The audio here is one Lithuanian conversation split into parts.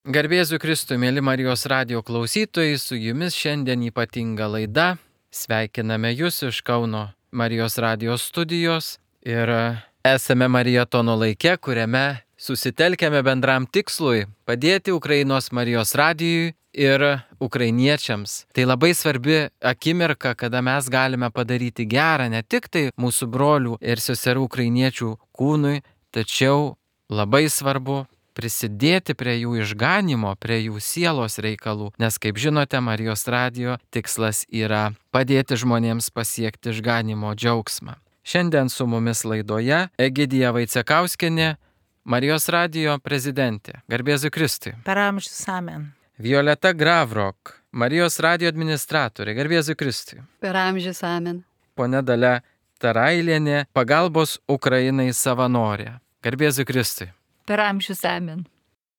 Garbėsiu Kristui, mėly Marijos radijo klausytojai, su jumis šiandien ypatinga laida. Sveikiname jūs iš Kauno Marijos radijos studijos ir esame Marietono laike, kuriame susitelkėme bendram tikslui padėti Ukrainos Marijos radijui ir ukrainiečiams. Tai labai svarbi akimirka, kada mes galime padaryti gerą ne tik tai mūsų brolių ir seserų ukrainiečių kūnui, tačiau labai svarbu prisidėti prie jų išganimo, prie jų sielos reikalų, nes, kaip žinote, Marijos radijo tikslas yra padėti žmonėms pasiekti išganimo džiaugsmą. Šiandien su mumis laidoje Egidija Vaicekauskienė, Marijos radijo prezidentė. Garbėsiu Kristui. Per amžius amen. Violeta Gravrok, Marijos radijo administratorė. Garbėsiu Kristui. Per amžius amen. Pone Dalia Tarailienė, pagalbos Ukrainai savanorė. Garbėsiu Kristui. Per amžius amen.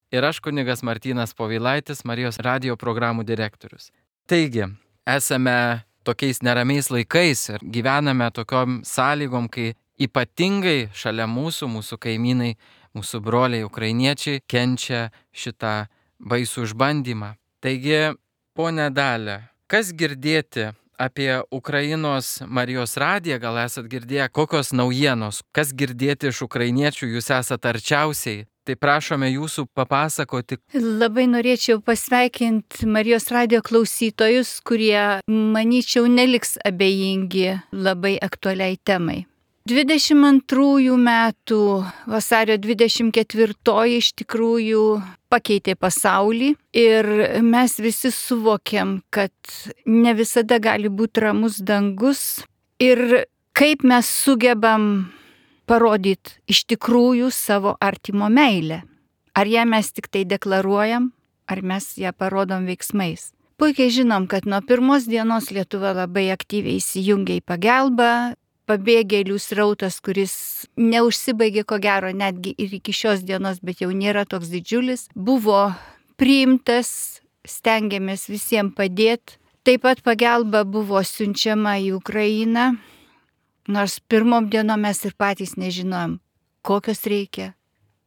Ir aš kunigas Martynas Povilaitis, Marijos radijo programų direktorius. Taigi, esame tokiais neramiais laikais ir gyvename tokiom sąlygom, kai ypatingai šalia mūsų kaimynai, mūsų broliai ukrainiečiai kenčia šitą baisų išbandymą. Taigi, ponė Dalia, kas girdėti apie Ukrainos Marijos radiją, gal esat girdėję, kokios naujienos, kas girdėti iš ukrainiečių, jūs esat arčiausiai, tai prašome jūsų papasakoti. Labai norėčiau pasveikinti Marijos radijo klausytojus, kurie, manyčiau, neliks abejingi labai aktualiai temai. 22 metų vasario 24 iš tikrųjų pakeitė pasaulį ir mes visi suvokiam, kad ne visada gali būti ramus dangus ir kaip mes sugebam parodyti iš tikrųjų savo artimo meilę. Ar ją mes tik tai deklaruojam, ar mes ją parodom veiksmais. Puikiai žinom, kad nuo pirmos dienos Lietuva labai aktyviai įsijungia į pagalbą. Pabėgėlių srautas, kuris neužsibaigė ko gero netgi ir iki šios dienos, bet jau nėra toks didžiulis, buvo priimtas, stengiamės visiems padėti. Taip pat pagalba buvo siunčiama į Ukrainą, nors pirmom dienom mes ir patys nežinojom, kokios reikia,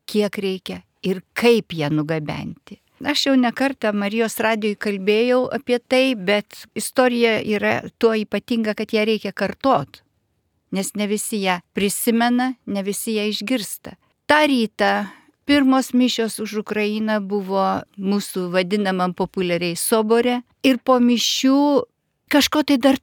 kiek reikia ir kaip ją nugabenti. Aš jau ne kartą Marijos radijoj kalbėjau apie tai, bet istorija yra tuo ypatinga, kad ją reikia kartot. Nes ne visi ją prisimena, ne visi ją išgirsta. Ta rytą pirmos mišios už Ukrainą buvo mūsų vadinamam populiariai sobore ir po mišių kažko tai dar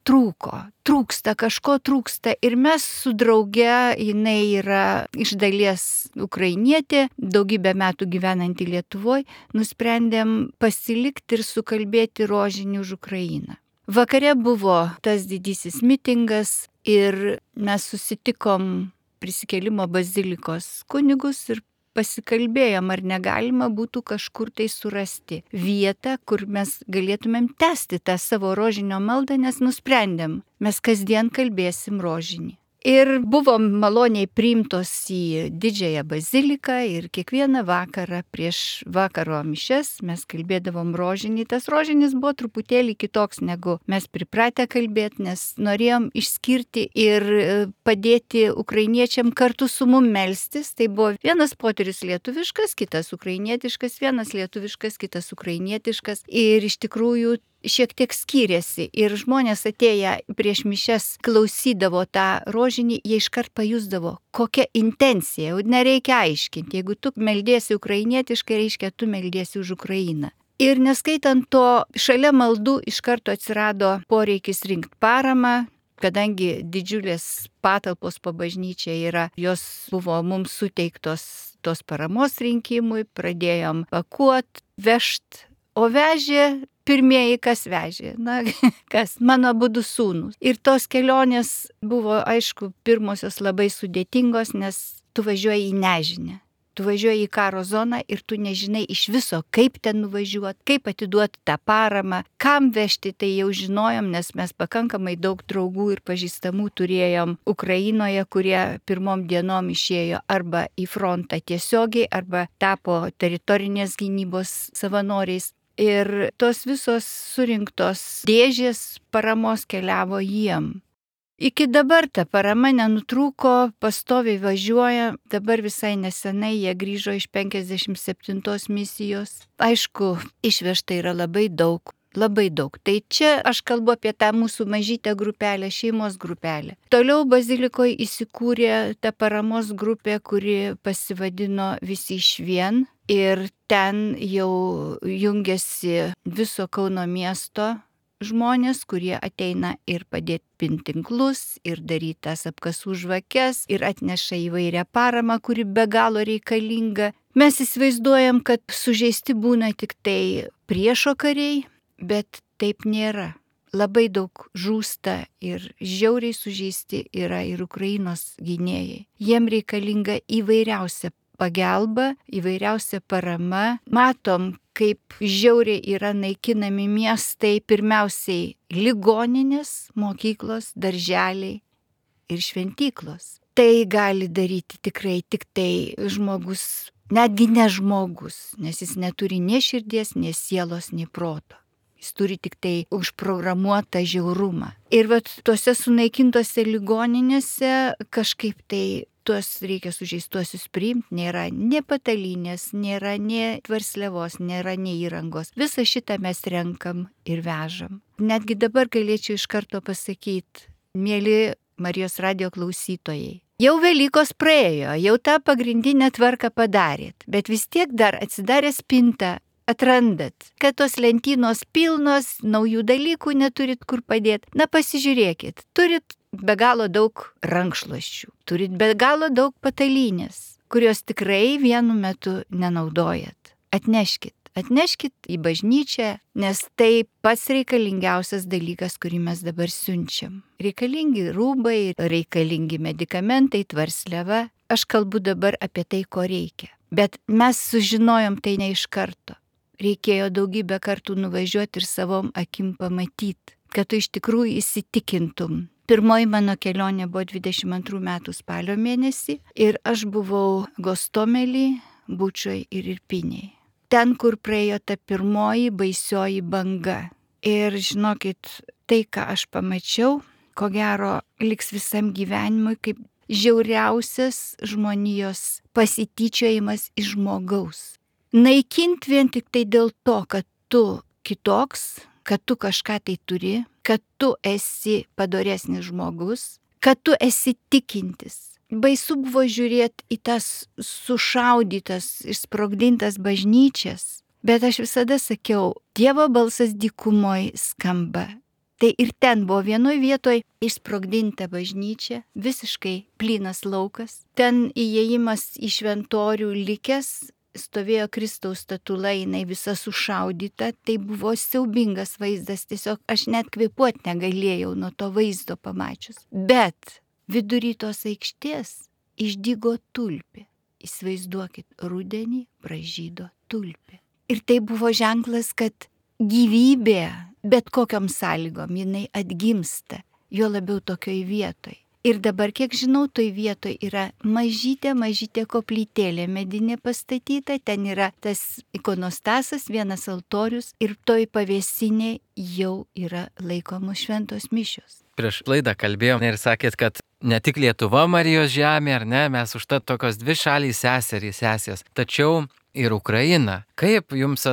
kažko trūksta ir mes su drauge, jinai yra iš dalies ukrainietė, daugybę metų gyvenanti Lietuvoje, nusprendėm pasilikti ir sukalbėti rožinį už Ukrainą. Vakare buvo tas didysis mitingas ir mes susitikom Prisikėlimo bazilikos kunigus ir pasikalbėjom, ar negalima būtų kažkur tai surasti vietą, kur mes galėtumėm tęsti tą savo rožinio maldą, nes nusprendėm, mes kasdien kalbėsim rožinį. Ir buvom maloniai priimtos į didžiąją baziliką ir kiekvieną vakarą prieš vakaro mišias mes kalbėdavom rožinį. Tas rožinis buvo truputėlį kitoks, negu mes pripratę kalbėti, nes norėjom išskirti ir padėti ukrainiečiam kartu su mum melstis. Tai buvo vienas poterius lietuviškas, kitas ukrainietiškas, vienas lietuviškas, kitas ukrainietiškas. Ir iš tikrųjų šiek tiek skyrėsi ir žmonės atėję prieš mišias klausydavo tą rožinį, jie iškart pajusdavo, kokia intencija, jau nereikia aiškinti, jeigu tu meldiesi ukrainietiškai, reiškia tu meldiesi už Ukrainą. Ir neskaitant to, šalia maldų iš karto atsirado poreikis rinkti paramą, kadangi didžiulės patalpos po bažnyčia yra, jos buvo mums suteiktos tos paramos rinkimui, pradėjom pakuot, vežt, o vežė pirmieji, kas vežė, kas, mano abudu sūnūs. Ir tos kelionės buvo, aišku, pirmosios labai sudėtingos, nes tu važiuoji į nežinę. Tu važiuoji į karo zoną ir tu nežinai iš viso, kaip ten nuvažiuoti, kaip atiduoti tą paramą, kam vežti, tai jau žinojom, nes mes pakankamai daug draugų ir pažįstamų turėjom Ukrainoje, kurie pirmom dienom išėjo arba į frontą tiesiogiai, arba tapo teritorinės gynybos savanoriais. Ir tos visos surinktos dėžės paramos keliavo jiem. Iki dabar ta parama nenutrūko, pastoviai važiuoja, dabar visai nesenai jie grįžo iš 57 misijos. Aišku, išvežta yra labai daug. Labai daug. Tai čia aš kalbu apie tą mūsų mažytę grupelę, šeimos grupelę. Toliau bazilikoje įsikūrė ta paramos grupė, kuri pasivadino Visi išvien. Ir ten jau jungiasi viso Kauno miesto žmonės, kurie ateina ir padėti pintinklus, ir daryti tas apkasų žvakes, ir atneša įvairią paramą, kuri be galo reikalinga. Mes įsivaizduojam, kad sužeisti būna tik tai priešo kariai, bet taip nėra. Labai daug žūsta ir žiauriai sužeisti yra ir Ukrainos gynėjai. Jiem reikalinga įvairiausia pagalba, įvairiausia parama. Matom, kaip žiauriai yra naikinami miestai, pirmiausiai ligoninės, mokyklos, darželiai ir šventyklos. Tai gali daryti tikrai tik tai žmogus, netgi ne žmogus, nes jis neturi nei širdies, nei sielos, nei proto. Jis turi tik tai užprogramuotą žiaurumą. Ir vat tuose sunaikintose ligoninėse kažkaip tai tuos reikia sužeistuosius priimti, nėra ne patalynės, nėra ne tvarsliavos, nėra ne įrangos. Visą šitą mes renkam ir vežam. Netgi dabar galėčiau iš karto pasakyti, mėly Marijos radijo klausytojai, jau Velykos praėjo, jau tą pagrindinę tvarką padarėt, bet vis tiek dar atsidarę spintą, atrandat, kad tos lentynos pilnos, naujų dalykų neturit kur padėti. Na pasižiūrėkit, turit be galo daug rankšluosčių, turit be galo daug patalynės, kurios tikrai vienu metu nenaudojat. Atneškit į bažnyčią, nes tai pats reikalingiausias dalykas, kurį mes dabar siunčiam. Reikalingi rūbai, reikalingi medikamentai, tvarsliava. Aš kalbu dabar apie tai, ko reikia. Bet mes sužinojom tai ne iš karto. Reikėjo daugybę kartų nuvažiuoti ir savom akim pamatyti, kad tu iš tikrųjų įsitikintum. Pirmoji mano kelionė buvo 22 metų spalio mėnesį ir aš buvau Gostomelį, Bučoj ir Irpinėj. Ten, kur praėjo ta pirmoji baisioji banga. Ir žinokit, tai, ką aš pamačiau, ko gero liks visam gyvenimui kaip žiauriausias žmonijos pasityčiojimas iš žmogaus. Naikint vien tik tai dėl to, kad tu kitoks, kad tu kažką tai turi, kad tu esi padoresnis žmogus, kad tu esi tikintis. Baisu buvo žiūrėti į tas sušaudytas, išsprogdintas bažnyčias, bet aš visada sakiau, Dievo balsas dykumoj skamba. Tai ir ten buvo vienoje vietoje išsprogdinta bažnyčia, visiškai plynas laukas. Ten įėjimas į šventorių likęs, stovėjo Kristaus statula, jinai visa sušaudyta, tai buvo siaubingas vaizdas, tiesiog aš net kvėpuot negalėjau nuo to vaizdo pamačius. Bet vidury tos aikštės išdygo tulpė. Įsivaizduokit, rudenį pražydo tulpė. Ir tai buvo ženklas, kad gyvybė, bet kokiom sąlygom, jinai atgimsta, jo labiau tokioj vietoj. Ir dabar, kiek žinau, toj vietoj yra mažytė koplytėlė medinė pastatyta, ten yra tas ikonostasas, vienas altorius ir toj pavėsinė jau yra laikomos šventos mišios. Prieš laidą kalbėjom ir sakėt, kad ne tik Lietuva Marijos žemė, ar ne, mes užtat tokios dvi šalys sesės, tačiau ir Ukraina. Kaip jums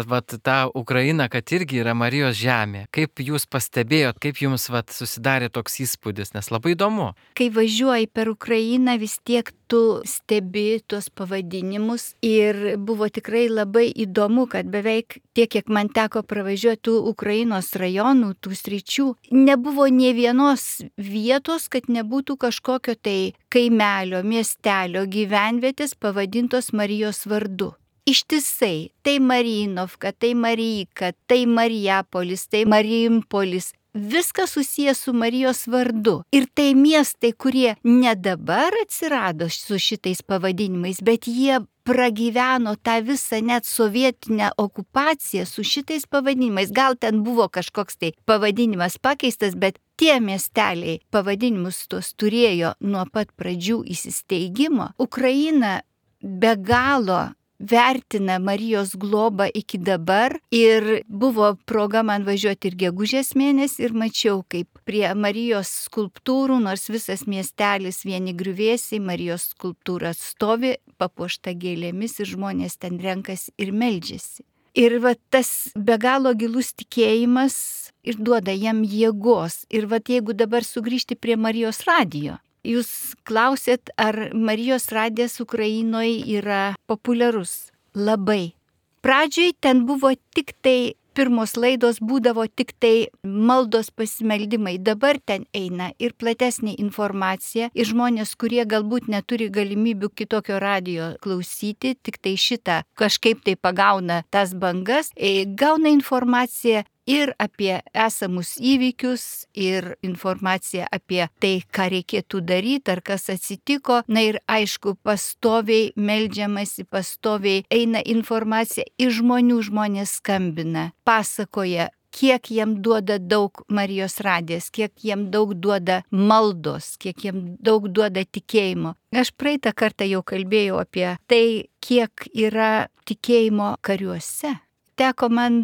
ta Ukraina, kad irgi yra Marijos žemė, kaip jūs pastebėjot, kaip jums susidarė toks įspūdis, nes labai įdomu. Kai važiuoji per Ukrainą, vis tiek tu stebi tuos pavadinimus ir buvo tikrai labai įdomu, kad beveik tiek, kiek man teko pravažiuoti tų Ukrainos rajonų, tų sričių, nebuvo nė vienos vietos, kad nebūtų kažkokio tai kaimelio, miestelio, gyvenvietės pavadintos Marijos vardu. Ištisai, tai Mariinovka, tai Marijka, tai Marijapolis, tai Marijimpolis, viskas susijęs su Marijos vardu. Ir tai miestai, kurie ne dabar atsirado su šitais pavadinimais, bet jie pragyveno tą visą net sovietinę okupaciją su šitais pavadinimais. Gal ten buvo kažkoks tai pavadinimas pakeistas, bet tie miesteliai pavadinimus tos turėjo nuo pat pradžių įsisteigimo. Ukraina be galo vertina Marijos globą iki dabar ir buvo proga man važiuoti ir gegužės mėnesį ir mačiau, kaip prie Marijos skulptūrų, nors visas miestelis vieni griuvėsiai, Marijos skulptūra stovi, papuošta gėlėmis ir žmonės ten renkasi ir meldžiasi. Ir va tas be galo gilus tikėjimas ir duoda jam jėgos. Ir va jeigu dabar sugrįžti prie Marijos radijo, jūs klausėt, ar Marijos radijas Ukrainoje yra populiarus? Labai. Pradžioj ten buvo tik tai, pirmos laidos būdavo tik tai maldos pasimeldimai. Dabar ten eina ir platesnė informacija, ir žmonės, kurie galbūt neturi galimybių kitokio radijo klausyti, tik tai šitą kažkaip tai pagauna tas bangas, gauna informaciją ir apie esamus įvykius, ir informaciją apie tai, ką reikėtų daryti, ar kas atsitiko. Na ir aišku, pastoviai meldžiamasi, pastoviai eina informacija iš žmonių, žmonės skambina, pasakoja, kiek jam duoda daug Marijos radijas, kiek jam daug duoda maldos, kiek jam daug duoda tikėjimo. Aš praeitą kartą jau kalbėjau apie tai, kiek yra tikėjimo kariuose. Teko man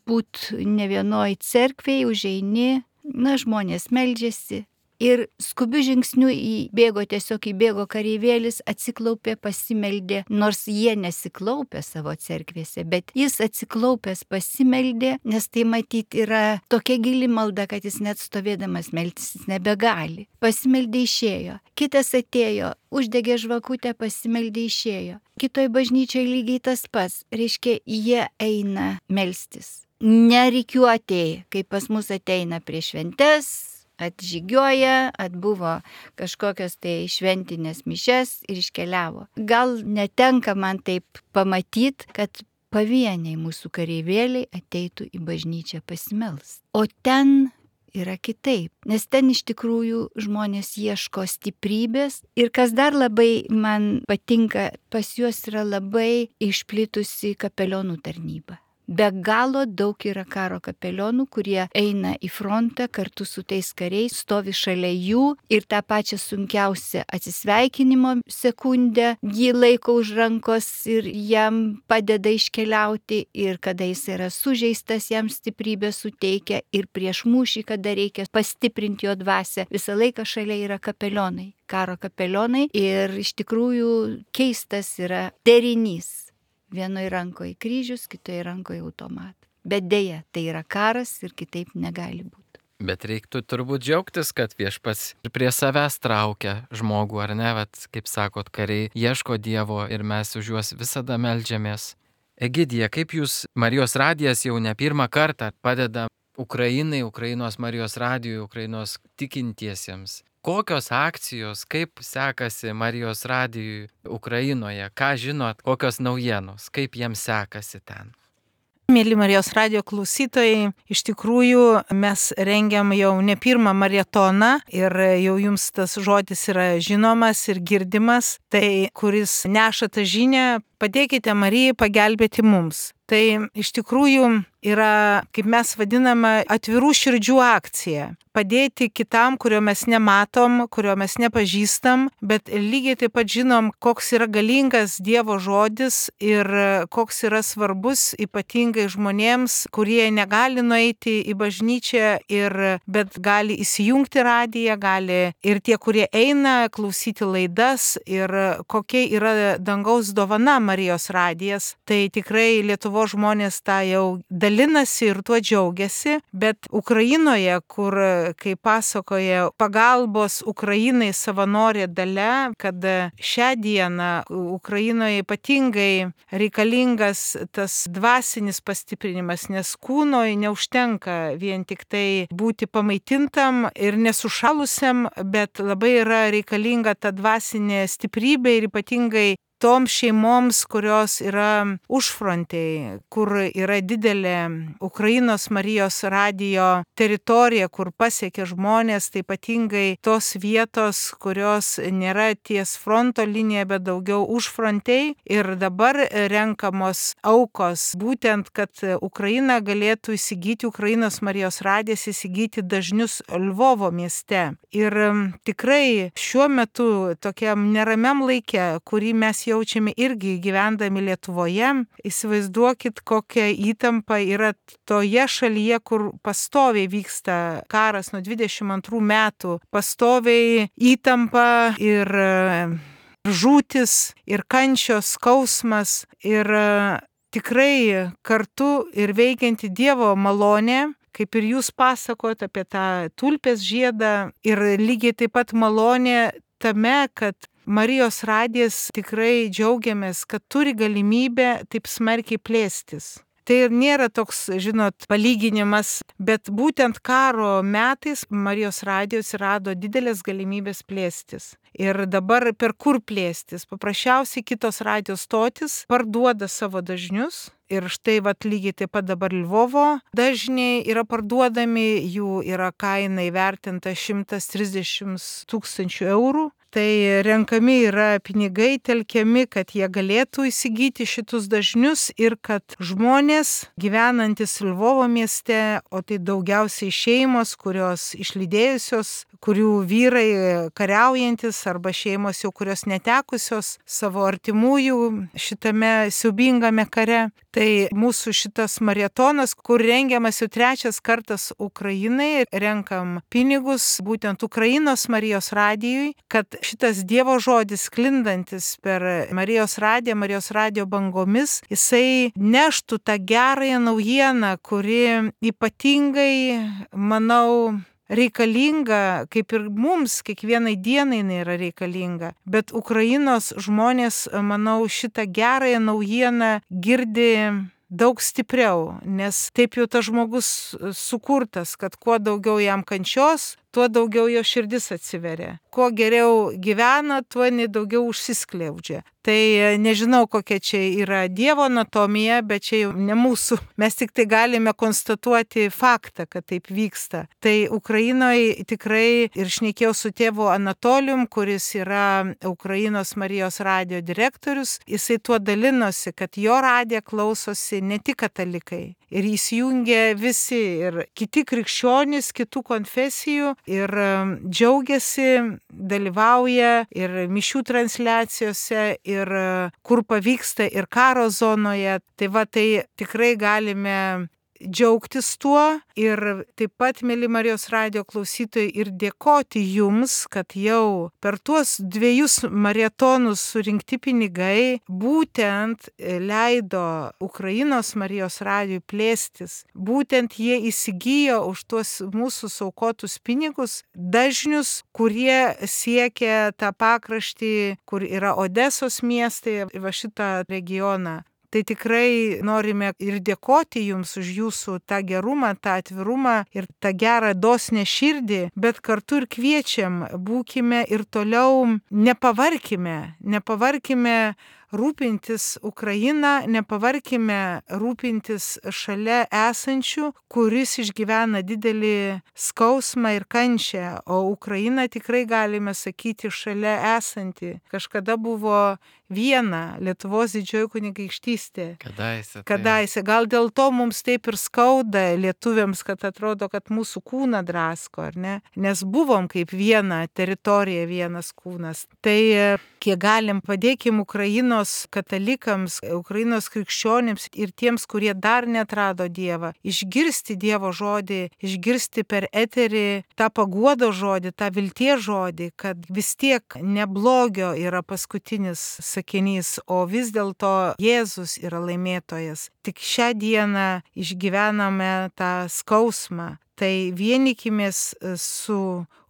būti ne vienoj cerkvėje, užeini, žmonės meldžiasi. Ir skubiu žingsniu įbėgo kareivėlis, atsiklaupė, pasimeldė, nors jie nesiklaupė savo cerkvėse, bet jis atsiklaupęs pasimeldė, nes tai matyti yra tokia gili malda, kad jis net stovėdamas melstis nebegali. Pasimeldė, išėjo. Kitas atėjo, uždegė žvakutę, pasimeldė, išėjo. Kitoj bažnyčiai lygiai tas pats, reiškia, jie eina melstis. Nerikiuotėjai, kaip pas mus ateina prie šventes, atžygioja, atbuvo kažkokios tai šventinės mišias ir iškeliavo. Gal netenka man taip pamatyti, kad pavieniai mūsų kareivėliai ateitų į bažnyčią pasimelst. O ten yra kitaip, nes ten iš tikrųjų žmonės ieško stiprybės ir kas dar labai man patinka, pas juos yra labai išplitusi kapelionų tarnyba. Be galo daug yra karo kapelionų, kurie eina į frontą kartu su tais kariais, stovi šalia jų ir tą pačią sunkiausią atsisveikinimo sekundę jį laiko už rankos ir jam padeda iškeliauti, ir kada jis yra sužeistas, jam stiprybę suteikia, ir prieš mūšį, kada reikia pastiprinti jo dvasią, visą laiką šalia yra kapelionai, karo kapelionai, ir iš tikrųjų keistas yra derinys. Vienoje rankoje kryžius, kitoje rankoje automatas. Bet dėja, tai yra karas ir kitaip negali būti. Bet reiktų turbūt džiaugtis, kad Viešpats prie savęs traukia žmogų, ar ne? Vat, kaip sakot, kariai ieško Dievo ir mes už juos visada meldžiamės. Egidija, kaip jūs, Marijos radijas jau ne pirmą kartą padeda Ukrainai, Ukrainos Marijos radijui, Ukrainos tikintiesiems. Kokios akcijos, kaip sekasi Marijos radijui Ukrainoje, ką žinot, kokios naujienos, kaip jiems sekasi ten? Mėly Marijos radijo klausytojai, iš tikrųjų mes rengiam jau ne pirmą maratoną ir jau jums tas žodis yra žinomas ir girdimas, tai kuris neša tą žinią, padėkite Marijai pagelbėti mums. Tai iš tikrųjų yra, kaip mes vadiname, atvirų širdžių akcija. Padėti kitam, kurio mes nematom, kurio mes nepažįstam, bet lygiai taip pat žinom, koks yra galingas Dievo žodis ir koks yra svarbus ypatingai žmonėms, kurie negali nueiti į bažnyčią, bet gali įsijungti radiją, gali ir tie, kurie eina klausyti laidas, ir kokia yra dangaus dovana Marijos radijas. Tai tikrai Lietuvos žmonės tą jau dalinasi ir tuo džiaugiasi, bet Ukrainoje, kur, kaip pasakoja pagalbos Ukrainai savanorė Dalia, kad šią dieną Ukrainoje ypatingai reikalingas tas dvasinis pastiprinimas, nes kūnoj neužtenka vien tik tai būti pamaitintam ir nesušalusiam, bet labai yra reikalinga ta dvasinė stiprybė ir ypatingai toms šeimoms, kurios yra užfrontėj, kur yra didelė Ukrainos Marijos radijo teritorija, kur pasiekia žmonės, tai ypatingai tos vietos, kurios nėra ties fronto linija, bet daugiau užfrontėj. Ir dabar renkamos aukos, būtent, kad Ukraina galėtų įsigyti, Ukrainos Marijos radijas įsigyti dažnius Lvovo mieste. Ir tikrai šiuo metu tokiam neramiam laike, kurį mes jaučiame irgi gyvendami Lietuvoje. Įsivaizduokit, kokia įtampa yra toje šalyje, kur pastoviai vyksta karas nuo 22 metų. Pastoviai įtampa ir žūtis, ir kančios, skausmas, ir tikrai kartu ir veikianti Dievo malonė, kaip ir jūs pasakojat apie tą tulpės žiedą, ir lygiai taip pat malonė tame, kad Marijos radijas tikrai džiaugiamės, kad turi galimybę taip smarkiai plėstis. Tai nėra toks, žinot, palyginimas, bet būtent karo metais Marijos radijos rado didelės galimybės plėstis. Ir dabar per kur plėstis? Paprasčiausiai kitos radijos stotis parduoda savo dažnius. Ir štai lygiai taip pat dabar Lvovo dažniai yra parduodami, jų yra kaina įvertinta 130 000 eurų. Tai renkami yra pinigai, telkiami, kad jie galėtų įsigyti šitus dažnius ir kad žmonės gyvenantis Lvovo mieste, o tai daugiausiai šeimos, kurios išlydėjusios, kurių vyrai kariaujantis arba šeimos jau kurios netekusios savo artimųjų šitame siaubingame kare. Tai mūsų šitas maratonas, kur rengiamas jau 3 kartas Ukrainai, renkam pinigus būtent Ukrainos Marijos radijui, kad šitas Dievo žodis sklindantis per Marijos radijo bangomis, jisai neštų tą gerąją naujieną, kuri ypatingai, manau, reikalinga, kaip ir mums, kiekvienai dienai jinai yra reikalinga. Bet Ukrainos žmonės, manau, šitą gerąją naujieną girdi daug stipriau, nes taip jau tas žmogus sukurtas, kad kuo daugiau jam kančios, tuo daugiau jo širdis atsiveria. Kuo geriau gyvena, tuo daugiau užsiskleidžia. Tai nežinau, kokia čia yra Dievo anatomija, bet čia jau ne mūsų. Mes tik tai galime konstatuoti faktą, kad taip vyksta. Tai Ukrainoje tikrai, ir šnekėjau su tėvu Anatolijum, kuris yra Ukrainos Marijos radijo direktorius, jisai tuo dalinosi, kad jo radiją klausosi ne tik katalikai. Ir įsijungia visi ir kiti krikščionys, kitų konfesijų, ir džiaugiasi, dalyvauja ir mišių transliacijose, ir kur pavyksta, ir karo zonoje. Tai tikrai galime džiaugtis tuo ir taip pat, mėly Marijos radijo klausytojai, ir dėkoti jums, kad jau per tuos 2 maratonus surinkti pinigai būtent leido Ukrainos Marijos radijui plėstis. Būtent jie įsigijo už tuos mūsų saukotus pinigus dažnius, kurie siekia tą pakraštį, kur yra Odesos miestai, va šitą regioną. Tai tikrai norime ir dėkoti jums už jūsų tą gerumą, tą atvirumą ir tą gerą dosnę širdį, bet kartu ir kviečiam, būkime ir toliau, nepavarkime rūpintis Ukrainą, nepavarkime rūpintis šalia esančių, kuris išgyvena didelį skausmą ir kančią, o Ukraina tikrai galime sakyti šalia esanti. Kažkada buvo viena Lietuvos didžioji kunigaikštystė. Kadaise. Gal dėl to mums taip ir skauda lietuviams, kad atrodo, kad mūsų kūną drasko, ar ne? Nes buvom kaip viena teritorija, vienas kūnas. Tai kiek galim padėkim Ukrainos katalikams, Ukrainos krikščionims ir tiems, kurie dar neatrado Dievą, išgirsti Dievo žodį, išgirsti per eterį tą paguodo žodį, tą vilties žodį, kad vis tiek ne blogio yra paskutinis sakinys, o vis dėlto Jėzus yra laimėtojas. Tik šią dieną išgyvename tą skausmą. Tai vienykimės su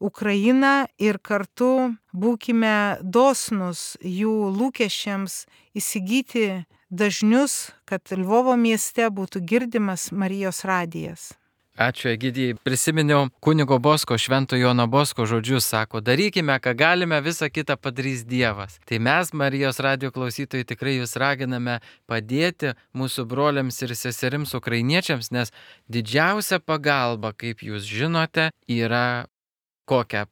Ukraina ir kartu būkime dosnus jų lūkesčiams įsigyti dažnius, kad Lvovo mieste būtų girdimas Marijos radijas. Ačiū, Egidijai. Prisiminiau kunigo Bosko, Švento Jono Bosko žodžius, sako, darykime, ką galime, visą kitą padarys Dievas. Tai mes, Marijos radijo klausytojai, tikrai jūs raginame padėti mūsų broliams ir seserims ukrainiečiams, nes didžiausia pagalba, kaip jūs žinote, yra kokia?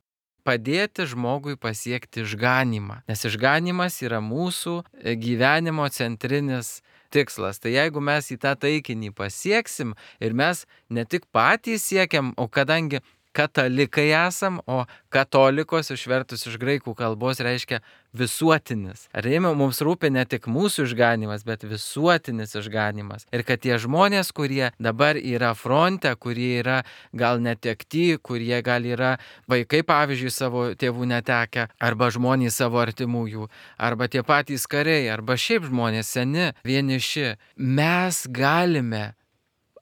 Padėti žmogui pasiekti išganymą. Nes išganymas yra mūsų gyvenimo centrinis tikslas. Tai jeigu mes į tą taikinį pasieksim ir mes ne tik patys siekiam, o kadangi katalikai esam, o katolikos išvertus iš graikų kalbos reiškia visuotinis. Ar mums rūpi ne tik mūsų išganimas, bet visuotinis išganimas. Ir kad tie žmonės, kurie dabar yra fronte, kurie yra gal netekti, kurie gal yra vaikai, pavyzdžiui, savo tėvų netekę, arba žmonės savo artimųjų, arba tie patys kariai, arba šiaip žmonės seni, vieniši, mes galime,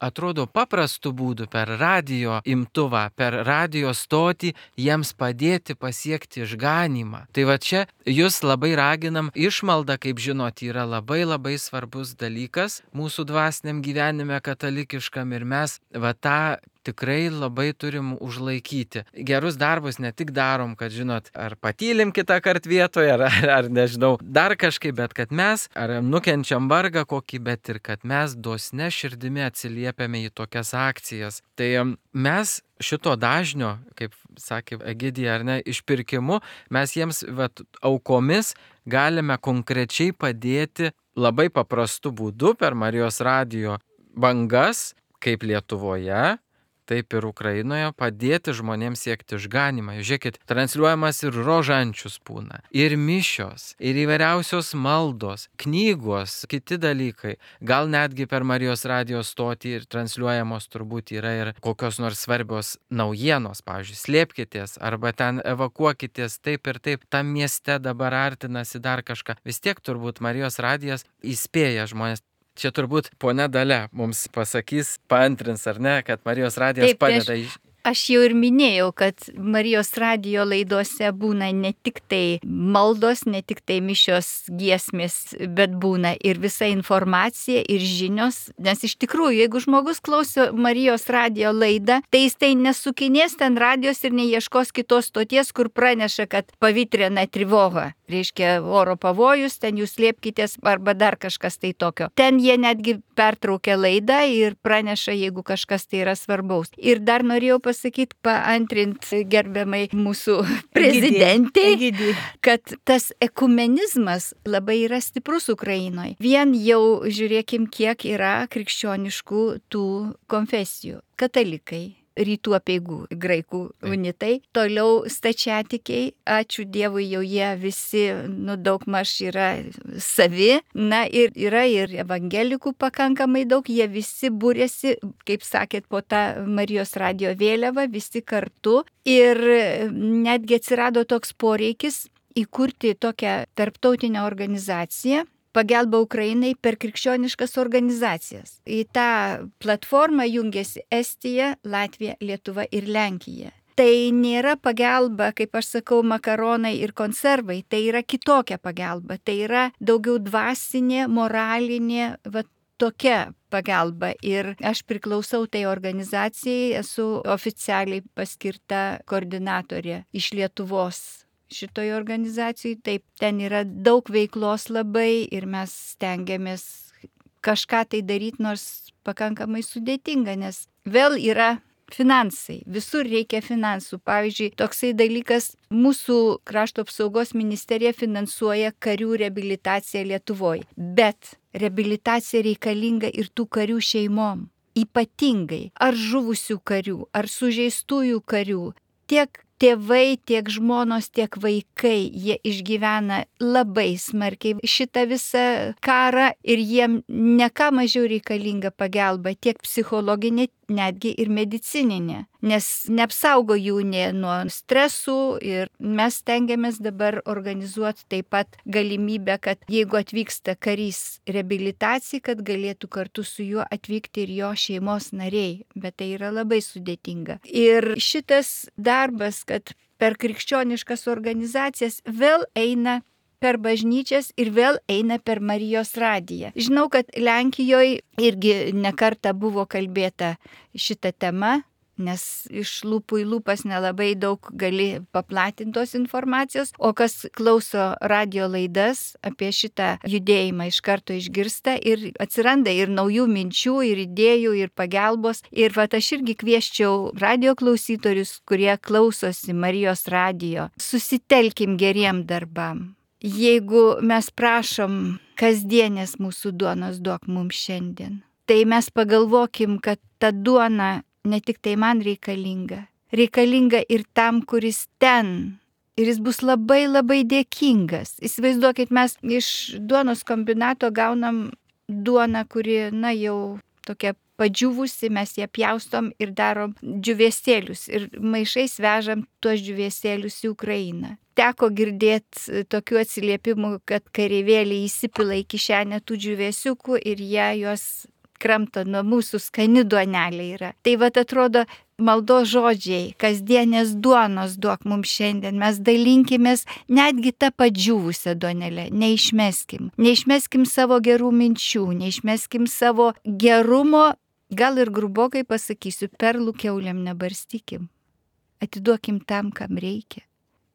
atrodo, paprastų būdų per radio imtuvą, per radio stotį jiems padėti pasiekti išganymą. Tai va čia jūs labai raginam, išmalda, kaip žinot, yra labai svarbus dalykas mūsų dvasiniam gyvenime katalikiškam ir mes va tą tikrai labai turim užlaikyti. Gerus darbus ne tik darom, kad žinot, ar patylim kitą kartą vietoje, ar nežinau, dar kažkaip, bet kad mes ar nukenčiam vargą kokį, bet ir kad mes dosne širdimi atsiliepiame į tokias akcijas. Tai mes šito dažnio, kaip sakė Egidija, ar ne, išpirkimu, mes jiems aukomis galime konkrečiai padėti labai paprastu būdu per Marijos radijo bangas, kaip Lietuvoje, taip ir Ukrainoje, padėti žmonėms siekti išganymą. Žiūrėkit, transliuojamas ir rožančius būna, ir mišios, ir įvairiausios maldos, knygos, kiti dalykai. Gal netgi per Marijos radijo stotį ir transliuojamos turbūt yra ir kokios nors svarbios naujienos, pavyzdžiui, slėpkitės arba ten evakuokitės taip ir taip, tam mieste dabar artinasi dar kažką. Vis tiek turbūt Marijos radijas įspėja žmonės. Čia turbūt ponia Dalia mums pasakys, paantrins ar ne, kad Marijos radijas taip, padeda. Aš jau ir minėjau, kad Marijos radijo laidose būna ne tik tai maldos, ne tik tai mišios giesmės, bet būna ir visa informacija ir žinios. Nes iš tikrųjų, jeigu žmogus klauso Marijos radijo laidą, tai jis tai nesukinės ten radijos ir neieškos kitos stoties, kur praneša, kad pavitrina trivoga. Reiškia oro pavojus, ten jūs slėpkitės arba dar kažkas tai tokio. Ten jie netgi pertraukia laidą ir praneša, jeigu kažkas tai yra svarbaus. Ir dar norėjau pasakyti, paantrint gerbiamai mūsų prezidentei, kad tas ekumenizmas labai yra stiprus Ukrainoje. Vien jau žiūrėkim, kiek yra krikščioniškų tų konfesijų. Katalikai, rytų apeigų, graikų unitai, toliau stačiatikiai, ačiū Dievui, jau jie visi, daugmaž yra savi, ir yra ir evangelikų pakankamai daug, jie visi būrėsi, kaip sakėt, po tą Marijos radijo vėliavą, visi kartu ir netgi atsirado toks poreikis įkurti tokią tarptautinę organizaciją, pagalba Ukrainai per krikščioniškas organizacijas. Į tą platformą jungiasi Estija, Latvija, Lietuva ir Lenkija. Tai nėra pagalba, kaip aš sakau, makaronai ir konservai, tai yra kitokia pagalba. Tai yra daugiau dvasinė, moralinė, tokia pagalba. Ir aš priklausau tai organizacijai, esu oficialiai paskirta koordinatorė iš Lietuvos. Šitoje organizacijoje, taip, ten yra daug veiklos labai ir mes stengiamės kažką tai daryti, nors pakankamai sudėtinga, nes vėl yra finansai, visur reikia finansų. Pavyzdžiui, toksai dalykas, mūsų krašto apsaugos ministerija finansuoja karių reabilitaciją Lietuvoje, bet reabilitacija reikalinga ir tų karių šeimom, ypatingai ar žuvusių karių, ar sužeistųjų karių, tiek tėvai, tiek žmonos, tiek vaikai, jie išgyvena labai smarkiai šitą visą karą ir jiem ne ką mažiau reikalinga pagalba, tiek psichologinė, netgi ir medicininė, nes neapsaugo jų nuo stresų ir mes stengiamės dabar organizuoti taip pat galimybę, kad jeigu atvyksta karys reabilitacijai, kad galėtų kartu su juo atvykti ir jo šeimos nariai, bet tai yra labai sudėtinga. Ir šitas darbas, kad per krikščioniškas organizacijas vėl eina per bažnyčias ir vėl eina per Marijos radiją. Žinau, kad Lenkijoje irgi nekartą buvo kalbėta šitą temą, nes iš lūpų į lūpas nelabai daug gali paplatintos informacijos, o kas klauso radio laidas apie šitą judėjimą iš karto išgirsta ir atsiranda ir naujų minčių, ir idėjų, ir pagalbos. Ir aš irgi kvieščiau radio klausytojus, kurie klausosi Marijos radijo, susitelkim geriem darbam. Jeigu mes prašom kasdienės mūsų duonos duok mums šiandien, tai mes pagalvokim, kad ta duona ne tik tai man reikalinga reikalinga ir tam, kuris ten. Ir jis bus labai labai dėkingas. Įsivaizduokit, mes iš duonos kombinato gaunam duoną, kuri, jau tokia padžiūvusi, mes ją pjaustom ir darom džiūvėsėlius. Ir maišais vežam tuos džiūvėsėlius į Ukrainą. Teko girdėti tokių atsiliepimų, kad kareivėliai įsipila į kišenę tų džiūvėsiukų ir jie juos kramto nuo mūsų, skani duonelė yra. Tai atrodo, maldos žodžiai, kasdienės duonos duok mums šiandien, mes dalinkimės netgi tą padžiūvusią duonelę, neišmeskim. Neišmeskim savo gerų minčių, neišmeskim savo gerumo, gal ir grubokai pasakysiu, perlų kiauliam nebarstykim. Atiduokim tam, kam reikia.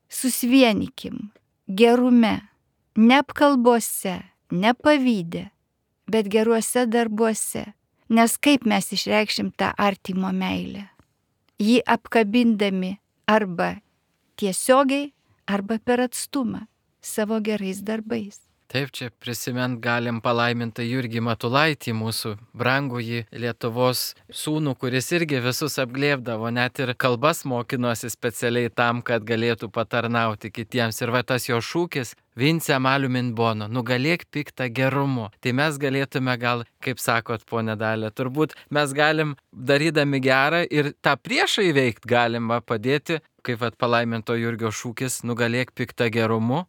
Susvienikim gerume, ne apkalbose, ne pavyde, bet geruose darbuose. Nes kaip mes išreikšim tą artimo meilę? Jį apkabindami arba tiesiogiai, arba per atstumą savo gerais darbais. Taip, čia prisimint galim palaimintą Jurgį Matulaitį, mūsų brangųjį Lietuvos sūnų, kuris irgi visus apglėbdavo, net ir kalbas mokinosi specialiai tam, kad galėtų patarnauti kitiems. Ir tas jo šūkis Vince Malumin Bono, nugalėk piktą gerumu. Tai mes galėtume gal, kaip sakot, ponė Dalia, turbūt mes galim, darydami gerą ir tą priešą įveikti galima padėti, kaip palaiminto Jurgio šūkis, nugalėk piktą gerumu,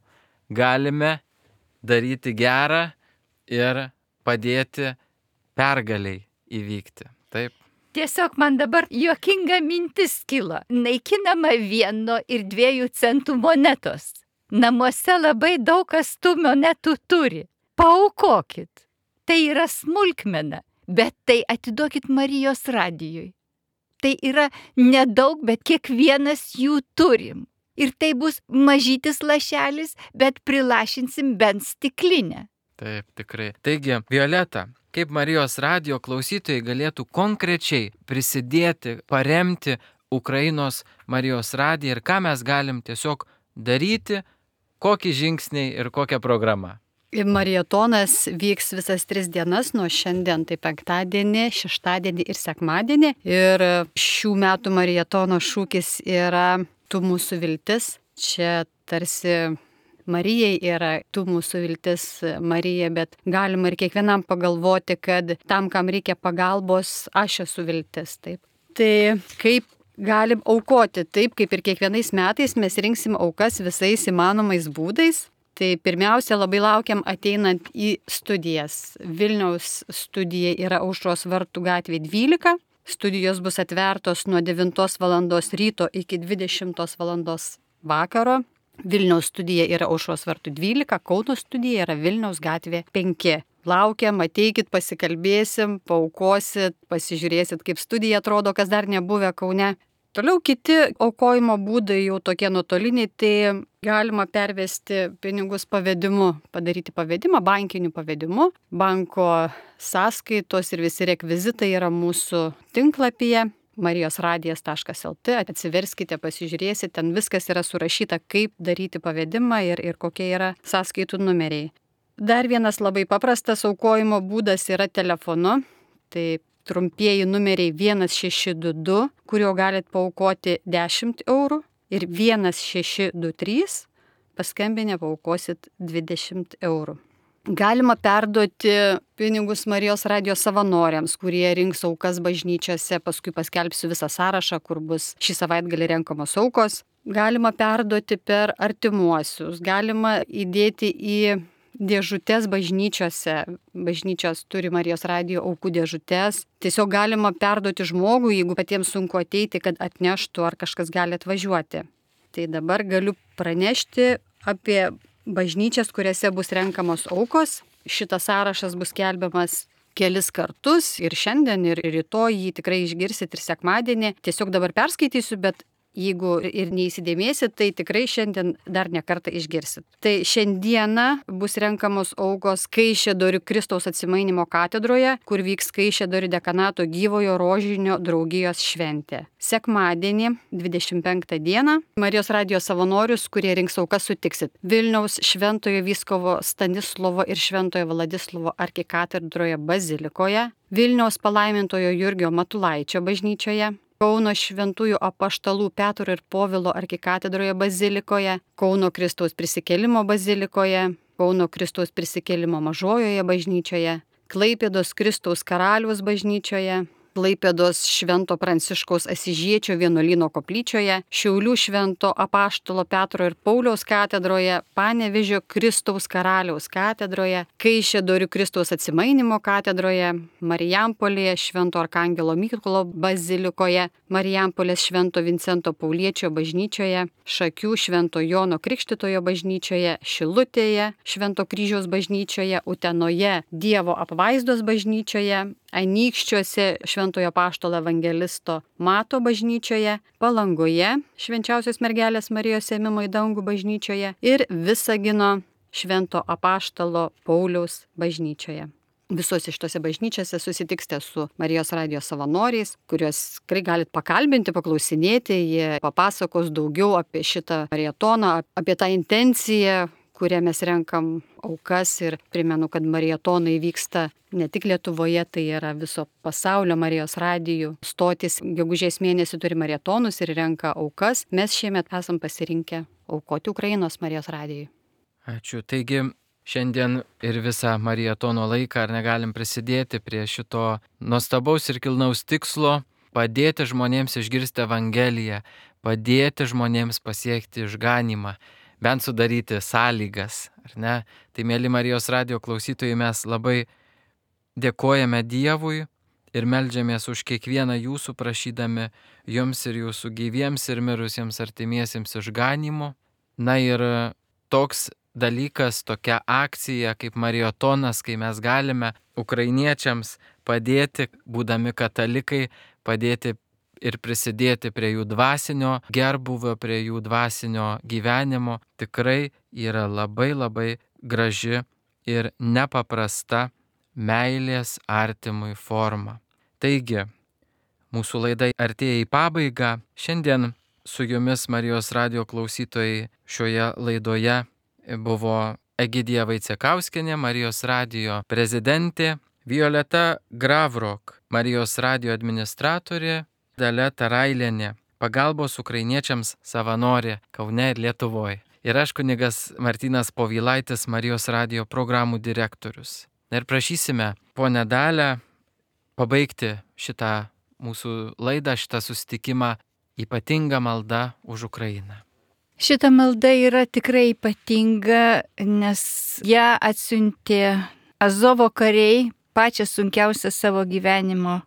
galime daryti gerą ir padėti pergaliai įvykti. Taip. Tiesiog man dabar juokinga mintis kilo. Naikinama 1 ir 2 centų monetos. Namuose labai daug kas tų monetų turi. Paaukokit. Tai yra smulkmena, bet tai atiduokit Marijos radijui. Tai yra nedaug, bet kiekvienas jų turim. Ir tai bus mažytis lašelis, bet prilašinsim bent stiklinę. Taip, tikrai. Taigi, Violeta, kaip Marijos radijo klausytojai galėtų konkrečiai prisidėti, paremti Ukrainos Marijos radiją ir ką mes galim tiesiog daryti, kokį žingsnį ir kokią programą? Marietonas vyks visas 3 dienas nuo šiandien, tai 5, 6 ir sekmadienį. Ir šių metų marietono šūkis yra Tu mūsų viltis. Čia tarsi Marijai yra tu mūsų viltis Marija, bet galima ir kiekvienam pagalvoti, kad tam, kam reikia pagalbos, aš esu viltis. Taip. Tai kaip galim aukoti? Taip, kaip ir kiekvienais metais mes rinksim aukas visais įmanomais būdais. Tai pirmiausia, labai laukiam ateinant į studijas. Vilniaus studija yra Aušros vartų gatvė 12. Studijos bus atvertos nuo 9 val. Ryto iki 20 val. Vakaro. Vilniaus studija yra Aušros vartų 12, Kauno studija yra Vilniaus gatvė 5. Laukiam, ateikit, pasikalbėsim, paaukosit, pasižiūrėsit, kaip studija atrodo, kas dar nebuvę Kaune. Toliau kiti aukojimo būdai jau tokie nuotoliniai, tai galima pervesti pinigus pavedimu, padaryti pavedimą, bankiniu pavedimu. Banko sąskaitos ir visi rekvizitai yra mūsų tinklapyje marijosradijas.lt. Atsiverskite, pasižiūrėsite, ten viskas yra surašyta, kaip daryti pavedimą ir kokie yra sąskaitų numeriai. Dar vienas labai paprastas aukojimo būdas yra telefonu. Tai trumpieji numeriai 1622, kurio galit paaukoti 10 eurų, ir 1623, paskambinę paaukosit 20 eurų. Galima perduoti pinigus Marijos radijo savanoriams, kurie rinks aukas bažnyčiose, paskui paskelbsiu visą sąrašą, kur bus šį savaitgalį renkamos aukos. Galima perduoti per artimuosius, galima įdėti į dėžutės bažnyčiose. Bažnyčios turi Marijos radijo aukų dėžutės. Tiesiog galima perduoti žmogui, jeigu patiems sunku ateiti, kad atneštų ar kažkas gali atvažiuoti. Tai dabar galiu pranešti apie bažnyčias, kuriuose bus renkamos aukos. Šitas sąrašas bus skelbiamas kelis kartus ir šiandien, ir rytoj jį tikrai išgirsit ir sekmadienį. Tiesiog dabar perskaitysiu, bet jeigu ir neįsidėmėsit, tai tikrai šiandien dar ne kartą išgirsit. Tai šiandieną bus renkamos aukos Kaišiadorių Kristaus atsimainimo katedroje, kur vyks Kaišiadorių dekanato gyvojo rožinio draugijos šventė. Sekmadienį, 25 dieną, Marijos radijo savanorius, kurie rinks aukas, sutiksit Vilniaus Šventojo Vyskupo Stanislovo ir Šventojo Vladislovo arkikatedroje bazilikoje, Vilniaus palaimintojo Jurgio Matulaičio bažnyčioje, Kauno šventųjų apaštalų Petro ir Povilo arkikatedroje bazilikoje, Kauno Kristaus prisikėlimo bazilikoje, Kauno Kristaus prisikėlimo mažojoje bažnyčioje, Klaipėdos Kristaus karaliaus bažnyčioje, Klaipėdos Švento Pranciškaus Asyžiečio vienuolyno koplyčioje, Šiaulių Švento apaštalo Petro ir Pauliaus katedroje, Panevėžio Kristaus karaliaus katedroje, Kaišiadorių Kristaus atsimainymo katedroje, Marijampolėje Švento Arkangelo Mykolo bazilikoje, Marijampolės Švento Vincento Pauliečio bažnyčioje, Šakių Švento Jono Krikštitojo bažnyčioje, Šilutėje Švento Kryžiaus bažnyčioje, Utenoje Dievo apvaizdos bažnyčioje, Anykščiuose Šventojo apaštalo evangelisto Mato bažnyčioje, Palangoje Švenčiausios mergelės Marijos ėmimo į dangų bažnyčioje ir Visagino Švento apaštalo Pauliaus bažnyčioje. Visose šitose bažnyčiose susitiksite su Marijos radijo savanoriais, kuriuos tikrai galit pakalbinti, paklausinėti, jie papasakos daugiau apie šitą marietoną, apie tą intenciją, kurie mes renkam aukas, ir primenu, kad marietonai vyksta ne tik Lietuvoje, tai yra viso pasaulio Marijos radijų stotis. Gegužės mėnesį turi marietonus ir renka aukas. Mes šiemet esam pasirinkę aukoti Ukrainos Marijos radijui. Ačiū. Taigi šiandien ir visą marietono laiką ar negalim prisidėti prie šito nuostabaus ir kilnaus tikslo padėti žmonėms išgirsti Evangeliją, padėti žmonėms pasiekti išganymą, bent sudaryti sąlygas, ar ne? Tai, mėly Marijos radijo klausytojai, mes labai dėkojame Dievui ir meldžiamės už kiekvieną jūsų, prašydami jums ir jūsų gyviems ir mirusiems artimiesiems išganymų. Na ir toks dalykas, tokia akcija kaip marietonas, kai mes galime ukrainiečiams padėti, būdami katalikai, padėti ir prisidėti prie jų dvasinio gerbūvio, prie jų dvasinio gyvenimo, tikrai yra labai labai graži ir nepaprasta meilės artimui forma. Taigi, mūsų laida artėja į pabaigą. Šiandien su jumis, Marijos radijo klausytojai, šioje laidoje buvo Egidija Vaicekauskienė, Marijos radijo prezidentė, Violeta Gravrok, Marijos radijo administratorė, Dalia Tarailienė, pagalbos ukrainiečiams savanorė Kaune ir Lietuvoje. Ir aš kunigas Martynas Povilaitis, Marijos radijo programų direktorius. Ir prašysime ponę Dalią pabaigti šitą mūsų laidą, šitą susitikimą ypatinga malda už Ukrainą. Šita malda yra tikrai ypatinga, nes ją atsiuntė Azovo kariai pačią sunkiausią savo gyvenimo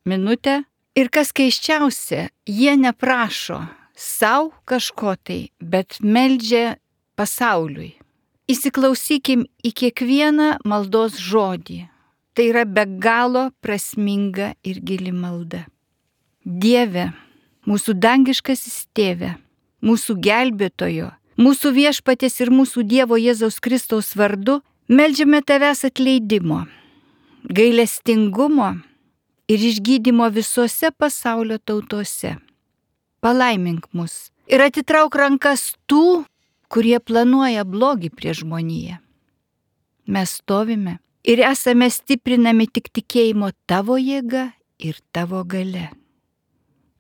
minutę. Ir kas keisčiausia, jie neprašo savo kažko tai, bet meldžia pasauliui. Įsiklausykim į kiekvieną maldos žodį. Tai yra be galo prasminga ir gili malda. Dieve, mūsų dangiškasis Tėve, mūsų gelbėtojo, mūsų viešpaties ir mūsų Dievo Jėzaus Kristaus vardu, meldžiame Tavęs atleidimo, gailestingumo ir išgydymo visose pasaulio tautose. Palaimink mus ir atitrauk rankas tų, kurie planuoja blogį prieš žmoniją. Mes stovime ir esame stiprinami tik tikėjimo Tavo jėga ir Tavo galia.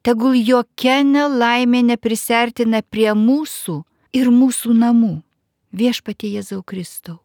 Tegul jokia nelaimė neprisertina prie mūsų ir mūsų namų. Viešpatie Jėzau Kristau,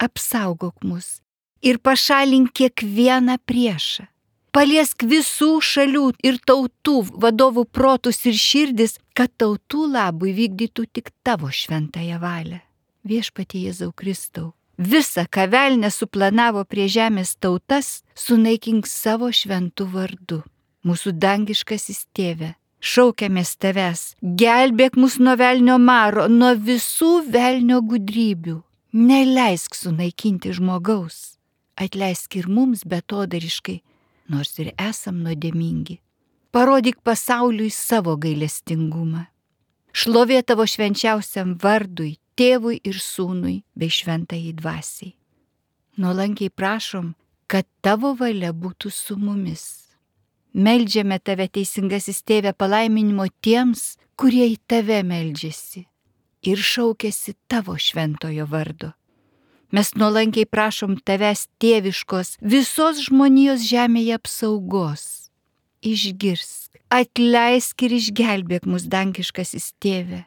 apsaugok mus ir pašalink kiekvieną priešą. Paliesk visų šalių ir tautų vadovų protus ir širdis, kad tautų labui vykdytų tik Tavo šventąją valią. Viešpatie Jėzau Kristau, visa, ką velnias suplanavo prie žemės tautas, sunaikink savo šventų vardu. Mūsų dangiškasis Tėve, šaukiamės Tavęs, gelbėk mus nuo velnio maro, nuo visų velnio gudrybių. Neleisk sunaikinti žmogaus, atleisk ir mums betodariškai, nors ir esam nuodėmingi. Parodyk pasauliui savo gailestingumą. Šlovė Tavo švenčiausiam vardui, Tėvui ir Sūnui bei šventajai dvasiai. Nuolankiai prašom, kad Tavo valia būtų su mumis. Meldžiame Tave, teisingasis Tėve, palaiminimo tiems, kurie į Tave meldžiasi ir šaukiasi Tavo šventojo vardo. Mes nuolankiai prašom Tavęs tėviškos visos žmonijos žemėje apsaugos. Išgirsk, atleisk ir išgelbėk mus, dangiškasis Tėve.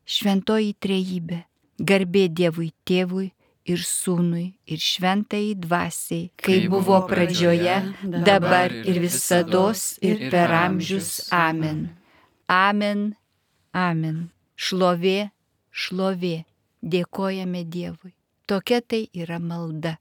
Šventoji Trejybė, garbė Dievui Tėvui ir Sūnui ir Šventajai Dvasiai, kaip buvo pradžioje, dabar ir visados ir per amžius. Amen. Amen. Amen. Šlovė, šlovė. Dėkojame Dievui. Tokia tai yra malda.